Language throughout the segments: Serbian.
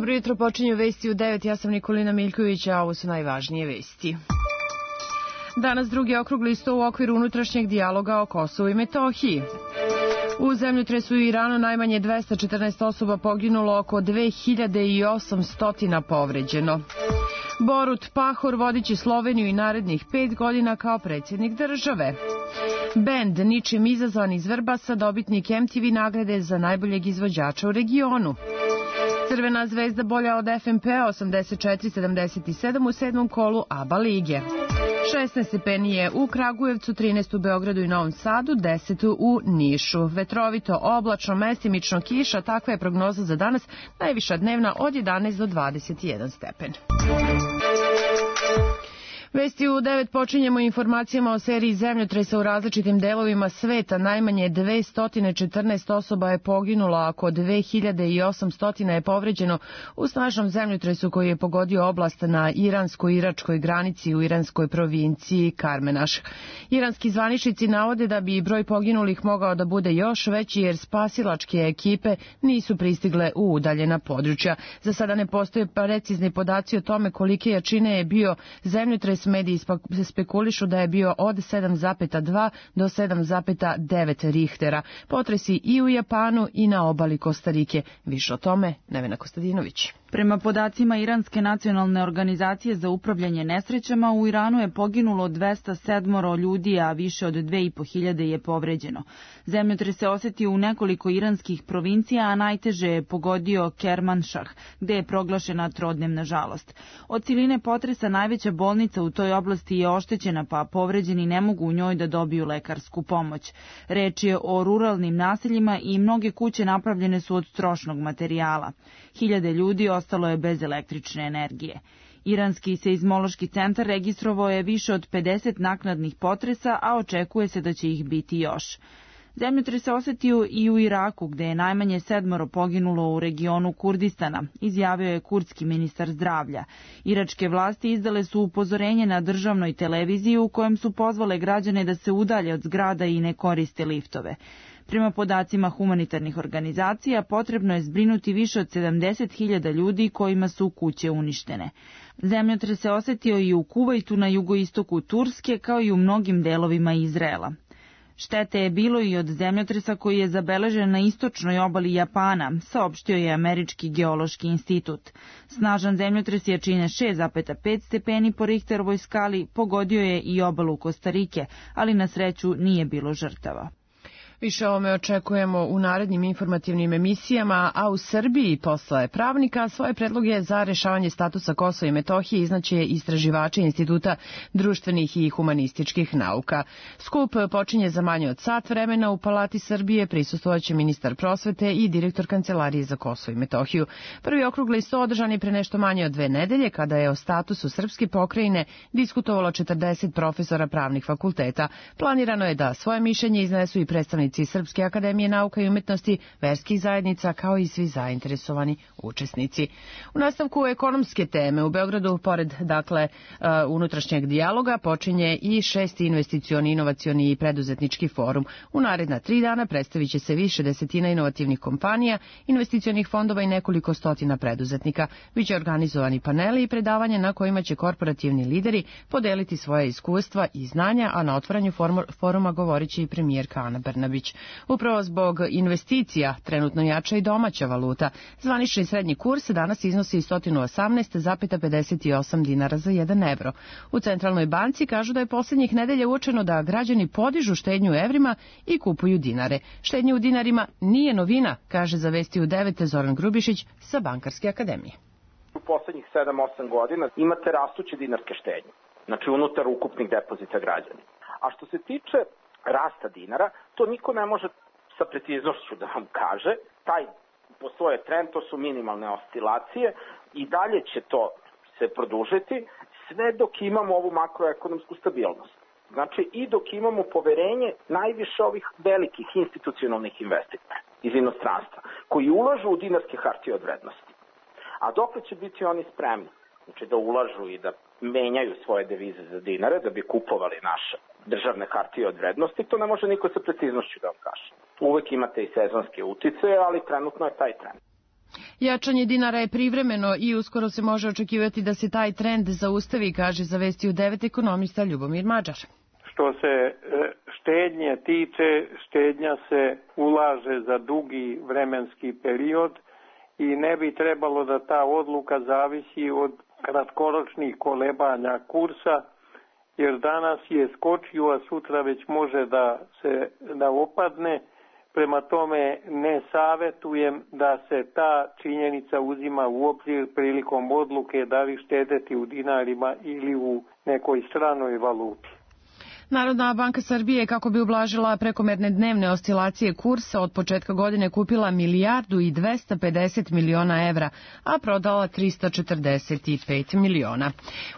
Dobro jutro, počinju vesti u 9. Ja sam Nikolina Miljković, a ovo su najvažnije vesti. Danas drugi okrugli sto u okviru unutrašnjeg dijaloga o Kosovu i Metohiji. U zemljotresu u Iranu najmanje 214 osoba poginulo, oko 2800 povređeno. Borut Pahor vodiće Sloveniju i narednih 5 godina kao predsjednik države. Bend Ničim izazvan iz Vrbasa, dobitnik MTV nagrade za najboljeg izvođača u regionu. Crvena zvezda bolja od FNP-a 84-77 u 7. kolu ABA lige. 16 stepeni je u Kragujevcu, 13 u Beogradu i Novom Sadu, 10 u Nišu. Vetrovito, oblačno, mestimično kiša, takva je prognoza za danas, najviša dnevna od 11 do 21 stepen. Vesti u 9 počinjemo informacijama o seriji zemljotresa u različitim delovima sveta. Najmanje 214 osoba je poginulo, a oko 2800 je povređeno u snažnom zemljotresu koji je pogodio oblast na iransko-iračkoj granici u iranskoj provinciji Karmenaš. Iranski zvaničnici navode da bi broj poginulih mogao da bude još veći jer spasilačke ekipe nisu pristigle u udaljena područja. Za sada ne postoje precizni podaci o tome kolike jačine je bio zemljotres. Mediji spekulišu da je bio od 7,2 do 7,9 Richtera. Potresi i u Japanu i na obali Kostarike. Više o tome Nevena Kostadinović. Prema podacima Iranske nacionalne organizacije za upravljanje nesrećama, u Iranu je poginulo 207 ljudi, a više od 2500 je povređeno. Zemljotres se osetio u nekoliko iranskih provincija, a najteže je pogodio Kermanšah, gde je proglašena trodnevna žalost. Od siline potresa najveća bolnica u toj oblasti je oštećena, pa povređeni ne mogu u njoj da dobiju lekarsku pomoć. Reč je o ruralnim naseljima i mnoge kuće napravljene su od trošnog materijala. Hiljade ljudi ostalo je bez električne energije. Iranski seizmološki centar registrovao je više od 50 naknadnih potresa, a očekuje se da će ih biti još. Zemljotres se osetio i u Iraku, gde je najmanje 7 poginulo u regionu Kurdistana, izjavio je kurdski ministar zdravlja. Iračke vlasti izdale su upozorenje na državnoj televiziji u kojem su pozvale građane da se udalje od zgrada i ne koriste liftove. Prema podacima humanitarnih organizacija, potrebno je zbrinuti više od 70.000 ljudi kojima su kuće uništene. Zemljotres se osetio i u Kuvajtu na jugoistoku Turske, kao i u mnogim delovima Izraela. Štete je bilo i od zemljotresa koji je zabeležen na istočnoj obali Japana, saopštio je Američki geološki institut. Snažan zemljotres jačine 6,5 stepeni po Richterovoj skali pogodio je i obalu Kostarike, ali na sreću nije bilo žrtava. Više o ovome očekujemo u narednim informativnim emisijama, a u Srbiji posle pravnika svoje predloge za rešavanje statusa Kosova i Metohije iznaće istraživači Instituta društvenih i humanističkih nauka. Skup počinje za manje od sat vremena u Palati Srbije, prisustvovaće ministar prosvete i direktor Kancelarije za Kosovo i Metohiju. Prvi okrugli sto održan je pre nešto manje od 2 nedelje, kada je o statusu srpske pokrajine diskutovalo 40 profesora pravnih fakulteta. Planirano je da svoje mišljenje iznesu i predstavnici Srpske akademije nauka i umetnosti, verskih zajednica, kao i svi zainteresovani učesnici. U nastavku ekonomske teme u Beogradu, pored unutrašnjeg dijaloga, počinje i 6. investicioni, inovacioni i preduzetnički forum. U naredna 3 dana predstavit će se više desetina inovativnih kompanija, investicionih fondova i nekoliko stotina preduzetnika. Biće organizovani paneli i predavanja na kojima će korporativni lideri podeliti svoje iskustva i znanja, a na otvaranju foruma govorit će i premijerka Ana Brnabić. Upravo zbog investicija trenutno jača i domaća valuta. Zvanični srednji kurs danas iznosi 118,58 dinara za 1 evro. U Centralnoj banci kažu da je posljednjih nedelja uočeno da građani podižu štednju u evrima i kupuju dinare. Štednja u dinarima nije novina, kaže za Vesti u 9 Zoran Grubišić sa Bankarske akademije. U poslednjih 7-8 godina imate rastuće dinarske štednje, znači unutar ukupnih depozita građana. A što se tiče rasta dinara, to niko ne može sa preciznošću da vam kaže. Postoje trend, to su minimalne oscilacije i dalje će to se produžiti sve dok imamo ovu makroekonomsku stabilnost. Znači i dok imamo poverenje najviše ovih velikih institucionalnih investitora iz inostranstva koji ulažu u dinarske hartije od vrednosti. A dokle će biti oni spremni? Znači da ulažu i da menjaju svoje devize za dinare da bi kupovali naše državne hartije od vrednosti, to ne može niko sa preciznošću da vam kaže. Uvek imate i sezonske uticaje, ali trenutno je taj trend. Jačanje dinara je privremeno i uskoro se može očekivati da se taj trend zaustavi, kaže za Vesti u 9 ekonomista Ljubomir Mađar. Što se štednje tiče, štednja se ulaže za dugi vremenski period i ne bi trebalo da ta odluka zavisi od kratkoročnih kolebanja kursa, jer danas je skočio, a sutra već može da opadne. Prema tome ne savjetujem da se ta činjenica uzima u obzir prilikom odluke da li štedeti u dinarima ili u nekoj stranoj valuti. Narodna banka Srbije, kako bi ublažila prekomerne dnevne oscilacije kursa, od početka godine kupila 1.250 miliona evra, a prodala 345 miliona.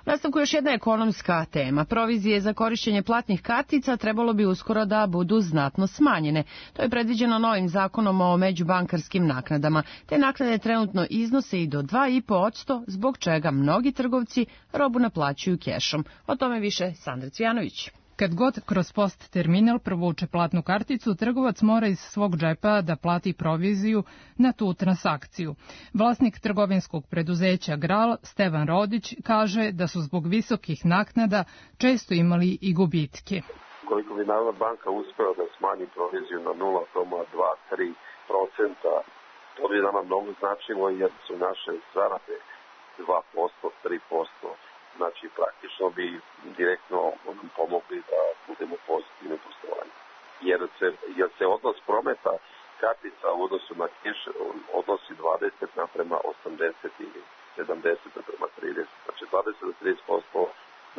U nastavku još jedna ekonomska tema. Provizije za korišćenje platnih kartica trebalo bi uskoro da budu znatno smanjene. To je predviđeno novim zakonom o međubankarskim naknadama. Te naknade trenutno iznose i do 2,5%, zbog čega mnogi trgovci robu naplaćuju kešom. O tome više Sandra Cvijanović. Kad god kroz post terminal provuče platnu karticu, trgovac mora iz svog džepa da plati proviziju na tu transakciju. Vlasnik trgovinskog preduzeća Gral, Stevan Rodić, kaže da su zbog visokih naknada često imali i gubitke. Koliko bi Narodna banka uspela da smanji proviziju na 0,2-3%, to bi nama mnogo značilo jer su naše zarade 2%, 3%. Znači, praktično bi direktno pomogli da budemo pozitivni poslovanje. Jer se odnos prometa kartica u odnosu na keš odnosi 20:80 ili 70:30. Znači, 20-30%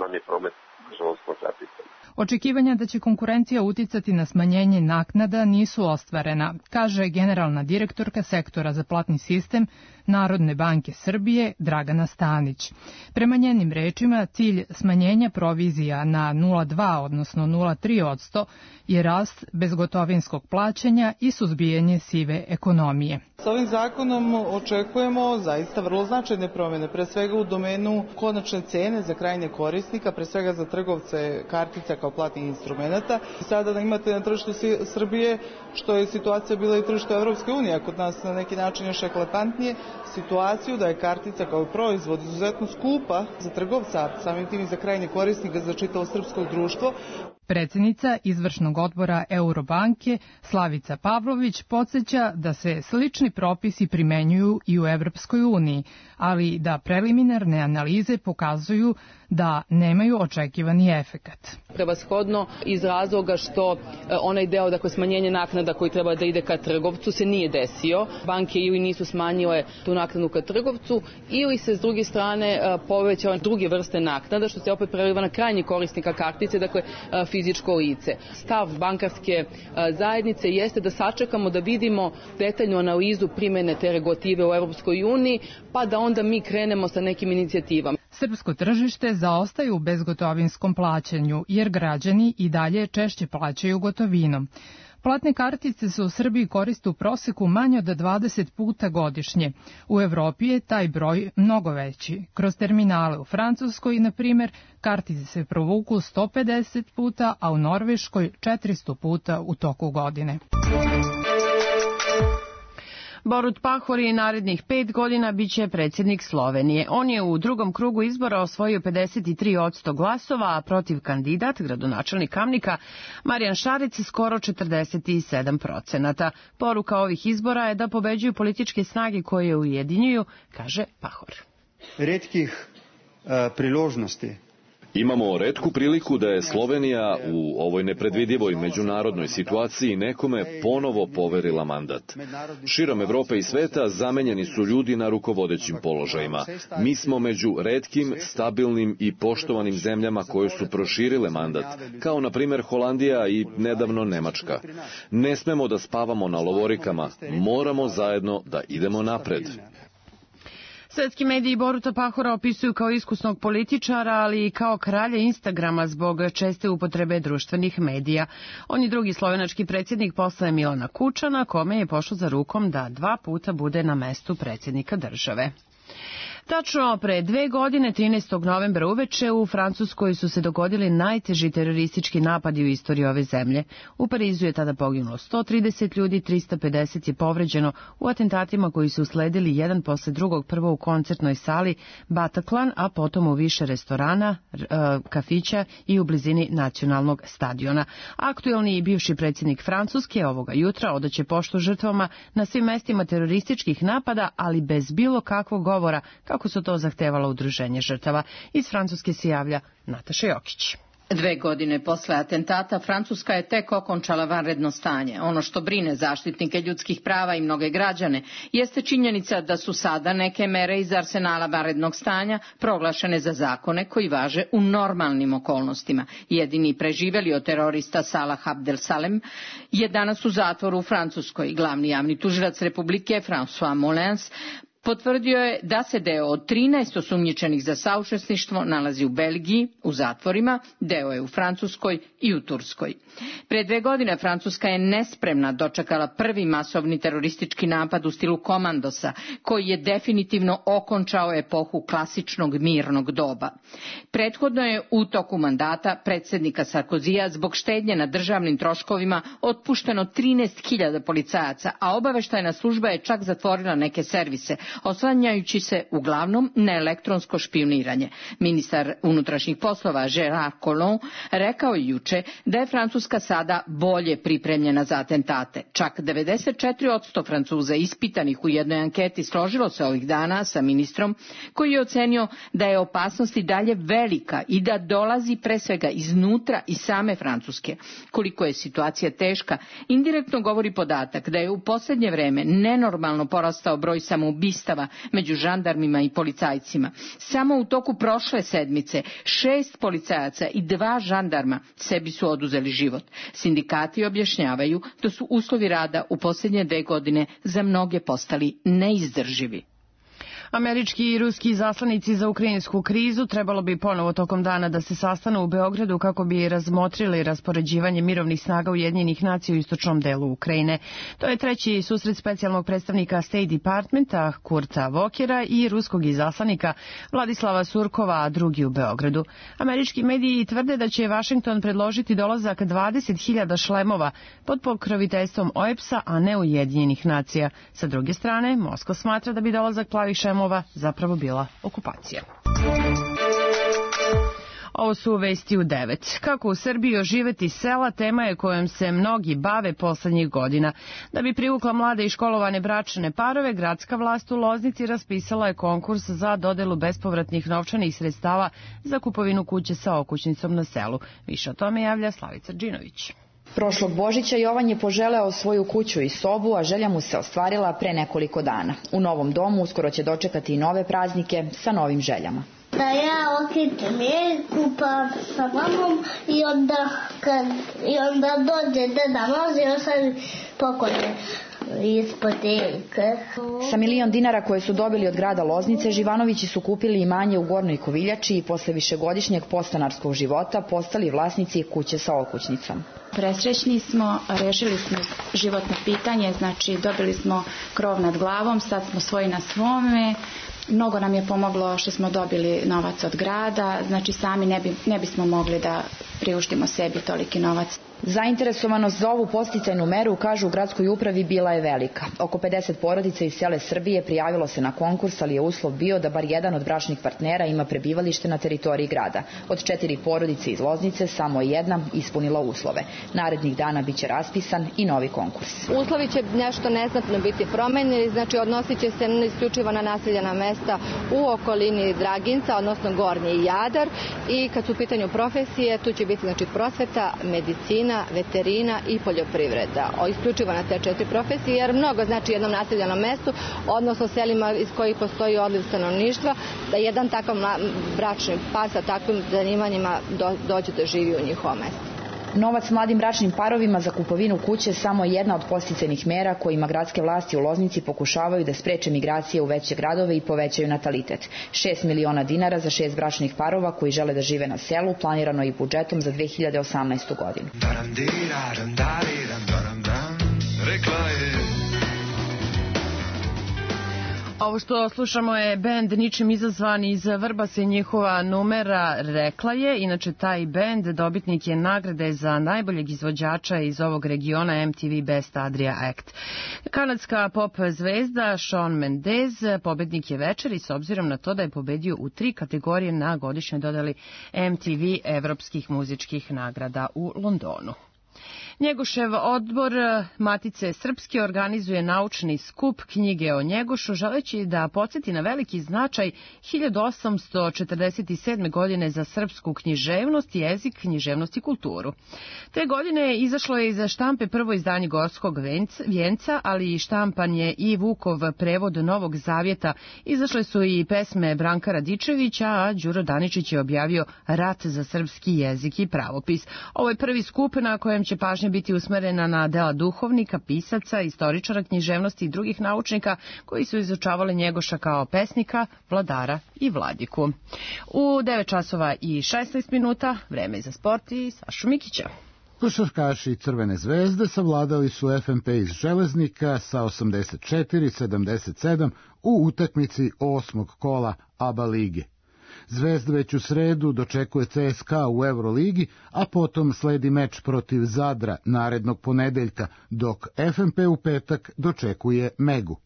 nam je promet, nažalost, na karticama. Očekivanja da će konkurencija uticati na smanjenje naknada nisu ostvarena, kaže generalna direktorka sektora za platni sistem Narodne banke Srbije Dragana Stanić. Prema njenim rečima, cilj smanjenja provizija na 0,2 odnosno 0,3% je rast bezgotovinskog plaćanja i suzbijanje sive ekonomije. S ovim zakonom očekujemo zaista vrlo značajne promjene, pre svega u domenu konačne cene za krajnje korisnika, pre svega za trgovce kartica kao platnih instrumenta. Sada da imate na tržištu Srbije, što je situacija bila i tržištu Evropske unije, a kod nas na neki način još eklatantnije, situaciju da je kartica kao proizvod izuzetno skupa za trgovca, samim tim i za krajnje korisnika, za čitavo srpsko društvo. Predsjednica izvršnog odbora Eurobanke Slavica Pavlović podsjeća da se slični propisi primenjuju i u Evropskoj uniji, ali da preliminarne analize pokazuju da nemaju očekivani efekat. Prevashodno iz razloga što onaj deo, dakle smanjenje naknada koji treba da ide ka trgovcu se nije desio. Banke ili nisu smanjile tu naknadu ka trgovcu ili se s druge strane povećale druge vrste naknada što se opet preliva na krajnji korisnika kartice, dakle fizičko lice. Stav bankarske zajednice jeste da sačekamo da vidimo detaljnu analizu primene te regulative u Evropskoj uniji, pa da onda mi krenemo sa nekim inicijativama. Srpsko tržište zaostaje u bezgotovinskom plaćanju, jer građani i dalje češće plaćaju gotovinom. Platne kartice se u Srbiji koriste u proseku manje od 20 puta godišnje. U Evropi je taj broj mnogo veći. Kroz terminale u Francuskoj, na primjer, kartice se provuku 150 puta, a u Norveškoj 400 puta u toku godine. Borut Pahor je narednih 5 godina biće predsjednik Slovenije. On je u drugom krugu izbora osvojio 53% glasova, a protiv kandidat, gradonačelnik Kamnika, Marijan Šarec, skoro 47%. Poruka ovih izbora je da pobeđuju političke snage koje je ujedinjuju, kaže Pahor. Retkih priložnosti. Imamo retku priliku da je Slovenija u ovoj nepredvidivoj međunarodnoj situaciji nekome ponovo poverila mandat. Širom Evrope i sveta zamenjeni su ljudi na rukovodećim položajima. Mi smo među retkim, stabilnim i poštovanim zemljama koje su proširile mandat, kao na primjer Holandija i nedavno Nemačka. Ne smemo da spavamo na lovorikama, moramo zajedno da idemo napred. Svetski mediji Boruta Pahora opisuju kao iskusnog političara, ali i kao kralja Instagrama zbog česte upotrebe društvenih medija. On je drugi slovenački predsjednik posle Milana Kučana, kome je pošlo za rukom da 2 puta bude na mestu predsjednika države. Tačno pre 2 godine, 13. novembra uveče, u Francuskoj su se dogodili najteži teroristički napadi u istoriji ove zemlje. U Parizu je tada poginulo 130 ljudi, 350 je povređeno u atentatima koji su usledili jedan posle drugog, prvo u koncertnoj sali Bataclan, a potom u više restorana, kafića i u blizini nacionalnog stadiona. Aktuelni i bivši predsjednik Francuske ovoga jutra odaće poštu žrtvama na svim mestima terorističkih napada, ali bez bilo kakvog govora, kako su to zahtevala udruženje žrtava. Iz Francuske se javlja Nataša Jokić. 2 godine posle atentata Francuska je tek okončala vanredno stanje. Ono što brine zaštitnike ljudskih prava i mnoge građane jeste činjenica da su sada neke mere iz arsenala vanrednog stanja proglašene za zakone koji važe u normalnim okolnostima. Jedini preživeli od terorista Salah Abdel Salem je danas u zatvoru u Francuskoj. Glavni javni tužilac Republike François Molins potvrdio je da se deo od 13 osumnjičenih za saučesništvo nalazi u Belgiji, u zatvorima, deo je u Francuskoj i u Turskoj. Pre 2 godine Francuska je nespremna dočekala prvi masovni teroristički napad u stilu komandosa, koji je definitivno okončao epohu klasičnog mirnog doba. Prethodno je u toku mandata predsjednika Sarkozija zbog štednje na državnim troškovima otpušteno 13.000 policajaca, a obaveštajna služba je čak zatvorila neke servise, oslanjajući se uglavnom na elektronsko špijuniranje. Ministar unutrašnjih poslova Gérard Collomb rekao je juče da je Francuska sada bolje pripremljena za atentate. Čak 94% Francuza ispitanih u jednoj anketi složilo se ovih dana sa ministrom, koji je ocenio da je opasnost i dalje velika i da dolazi pre svega iznutra i same Francuske. Koliko je situacija teška, indirektno govori podatak da je u posljednje vreme nenormalno porastao broj samoubistava među žandarmima i policajcima. Samo u toku prošle sedmice 6 policajaca i 2 žandarma sebi su oduzeli život. Sindikati objašnjavaju da su uslovi rada u posljednje 2 godine za mnoge postali neizdrživi. Američki i ruski zaslanici za ukrajinsku krizu trebalo bi ponovo tokom dana da se sastanu u Beogradu kako bi razmotrili raspoređivanje mirovnih snaga Ujedinjenih nacija u istočnom delu Ukrajine. To je treći susret specijalnog predstavnika State Departmenta Kurta Vokera i ruskog izaslanika Vladislava Surkova, a drugi u Beogradu. Američki mediji tvrde da će Vašington predložiti dolazak 20.000 šlemova pod pokroviteljstvom OEPS-a, a ne Ujedinjenih nacija. Sa druge strane, Moskva smatra da bi dolazak plavih šlemova zapravo bila okupacija. Ovo su vesti u 9. Kako u Srbiji oživeti sela, tema je kojom se mnogi bave poslednjih godina. Da bi privukla mlade i školovane bračne parove, gradska vlast u Loznici raspisala je konkurs za dodelu bespovratnih novčanih sredstava za kupovinu kuće sa okućnicom na selu. Više o tome javlja Slavica Džinović. Prošlog Božića Jovan je poželeo svoju kuću i sobu, a želja mu se ostvarila pre nekoliko dana. U novom domu uskoro će dočekati i nove praznike sa novim željama. Da ja okrećem jelku pa sa mamom i onda dođe Deda Mraz i ostavi poklone ispod jelke. Sa 1.000.000 dinara koje su dobili od grada Loznice, Živanovići su kupili imanje u Gornjoj Koviljači i posle višegodišnjeg podstanarskog života postali vlasnici kuće sa okućnicom. Presrećni smo, rešili smo životno pitanje, znači dobili smo krov nad glavom, sad smo svoji na svome. Mnogo nam je pomoglo što smo dobili novac od grada, znači sami ne bismo mogli da priuštimo sebi toliki novac. Zainteresovanost za ovu podsticajnu meru, kažu u gradskoj upravi, bila je velika. Oko 50 porodica iz cele Srbije prijavilo se na konkurs, ali je uslov bio da bar jedan od bračnih partnera ima prebivalište na teritoriji grada. Od 4 porodice iz Loznice samo je jedna ispunila uslove. Narednih dana biće raspisan i novi konkurs. Uslovi će nešto neznatno biti promenjeni, znači odnosit će se isključivo na naseljena mesta u okolini Draginca, odnosno Gornji Jadar, i kad su u pitanju profesije, tu će biti znači prosveta, medicina, veterina i poljoprivreda. Isključivo na te 4 profesije, jer mnogo znači jednom naseljenom mestu, odnosno selima iz kojih postoji odliv stanovništva, da jedan takav bračni par sa takvim zanimanjima dođe da živi u njihovom mestu. Novac mladim bračnim parovima za kupovinu kuće samo je jedna od podsticajnih mera kojima gradske vlasti u Loznici pokušavaju da spreče migracije u veće gradove i povećaju natalitet. 6 miliona dinara za 6 bračnih parova koji žele da žive na selu planirano je i budžetom za 2018. godinu. Ovo Ovo što slušamo je bend Ničim izazvan iz Vrbasa i njihova numera Rekla je. Inače, taj bend dobitnik je nagrade za najboljeg izvođača iz ovog regiona MTV Best Adria Act. Kanadska pop zvezda Shawn Mendes pobednik je večeri s obzirom na to da je pobedio u 3 kategorije na godišnjoj dodali MTV evropskih muzičkih nagrada u Londonu. Njegošev odbor Matice Srpske organizuje naučni skup knjige o Njegošu, želeći da podsjeti na veliki značaj 1847. godine za srpsku književnost, jezik, književnost i kulturu. Te godine izašlo je iz štampe prvo izdanje Gorskog vijenca, ali i štampan je i Vukov prevod Novog zavjeta. Izašle su i pesme Branka Radičevića, a Đuro Daničić je objavio Rat za srpski jezik i pravopis. Ovo je prvi skup na kojem će pažnja biti usmerena na dela duhovnika, pisaca, istoričara književnosti i drugih naučnika koji su izučavali Njegoša kao pesnika, vladara i vladiku. U 9 časova i 16 minuta vreme za sport i Sašu Mikića. Košarkaši Crvene zvezde savladali su FNP iz Železnika sa 84-77 u utakmici 8. kola ABA lige. Zvezda već u sredu dočekuje CSKA u Euroligi, a potom sledi meč protiv Zadra narednog ponedeljka, dok FNP u petak dočekuje Megu.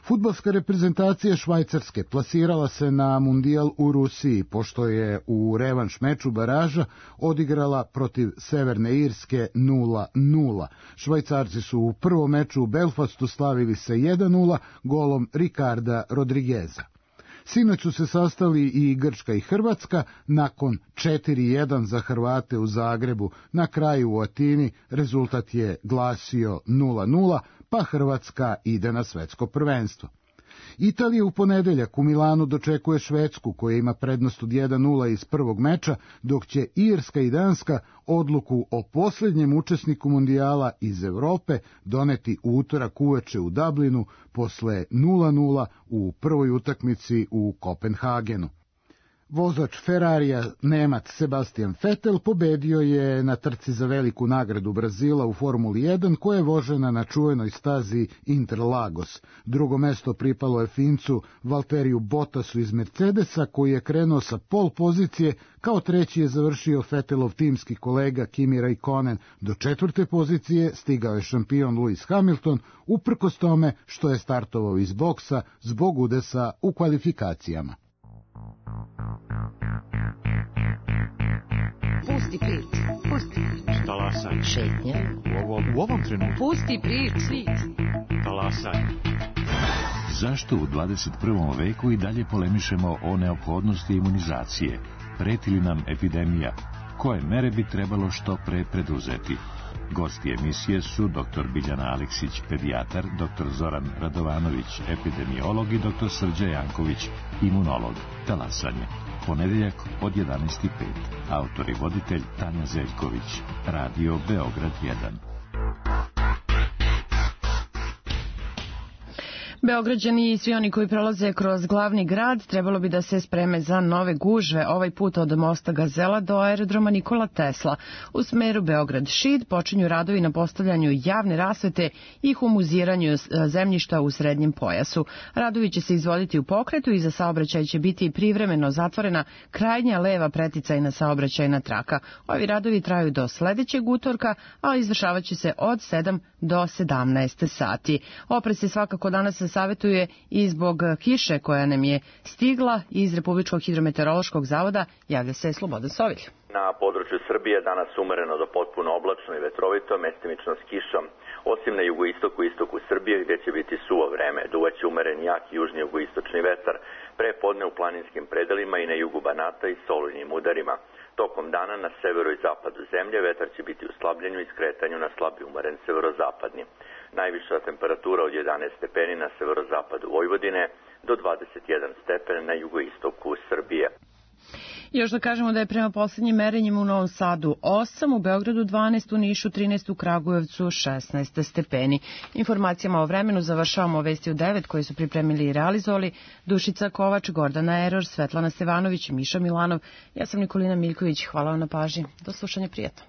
Fudbalska reprezentacija Švajcarske plasirala se na mundijal u Rusiji, pošto je u revanš meču baraža odigrala protiv Severne Irske 0-0. Švajcarci su u prvom meču u Belfastu slavili se 1-0 golom Ricarda Rodrigueza. Sinoć su se sastali i Grčka i Hrvatska, nakon 4-1 za Hrvate u Zagrebu. Na kraju u Atini rezultat je glasio 0-0, pa Hrvatska ide na svetsko prvenstvo. Italija u ponedeljak u Milanu dočekuje Švedsku, koja ima prednost od 1-0 iz prvog meča, dok će Irska i Danska odluku o posljednjem učesniku mundijala iz Evrope doneti u utorak uveče u Dublinu posle 0-0 u prvoj utakmici u Kopenhagenu. Vozač Ferrarija, Nemac Sebastian Vettel, pobedio je na trci za veliku nagradu Brazila u Formuli 1, koja je vožena na čuvenoj stazi Interlagos. Drugo mesto pripalo je Fincu Valteriju Bottasu iz Mercedesa, koji je krenuo sa pol pozicije, kao treći je završio Vettelov timski kolega Kimi Raikkonen. Do 4. pozicije stigao je šampion Lewis Hamilton, uprkos tome što je startovao iz boksa zbog udesa u kvalifikacijama. Pusti priču, pusti priču. Talasaj. Šetnja. U ovom trenutku. Pusti priču. Talasaj. Zašto u 21. veku i dalje polemišemo o neophodnosti imunizacije? Preti li nam epidemija? Koje mere bi trebalo što pre preduzeti? Gosti emisije su dr. Biljana Aleksić, pedijatar, dr. Zoran Radovanović, epidemiolog i dr. Srđa Janković, imunolog. Talasanje. Ponedeljak od 11:05. Autor i voditelj Tanja Zeljković. Radio Beograd 1. Beograđani i svi oni koji prolaze kroz glavni grad trebalo bi da se spreme za nove gužve, ovaj put od mosta Gazela do aerodroma Nikola Tesla. U smeru Beograd-Šid počinju radovi na postavljanju javne rasvete i humuziranju zemljišta u srednjem pojasu. Radovi će se izvoditi u pokretu i za saobraćaj će biti privremeno zatvorena krajnja leva preticajna saobraćajna traka. Ovi radovi traju do sledećeg utorka, a izvršavat će se od 7 do 17 sati. Oprez se svakako danas savjetuje i zbog kiše koja nam je stigla iz Republičkog hidrometeorološkog zavoda, javlja se Slobodan Sovilj. Na području Srbije danas umereno do potpuno oblačno i vetrovito, mestimično s kišom, osim na jugoistoku i istoku Srbije gdje će biti suvo vreme. Duvaće umeren jak južni jugoistočni vetar, prepodne u planinskim predelima i na jugu Banata i solujnim udarima. Tokom dana na severu i zapadu zemlje vetar će biti u slabljenju i skretanju na slabi umeren severozapadni. Najviša temperatura od 11 stepeni na severozapadu Vojvodine do 21 stepen na jugoistoku Srbije. Još da kažemo da je prema posljednjim merenjima u Novom Sadu 8, u Beogradu 12, u Nišu 13, u Kragujevcu 16 stepeni. Informacijama o vremenu završavamo vesti u 9 koje su pripremili i realizovali Dušica Kovač, Gordana Eror, Svetlana Stevanović i Miša Milanov. Ja sam Nikolina Miljković. Hvala vam na pažnji. Do slušanja, prijatno.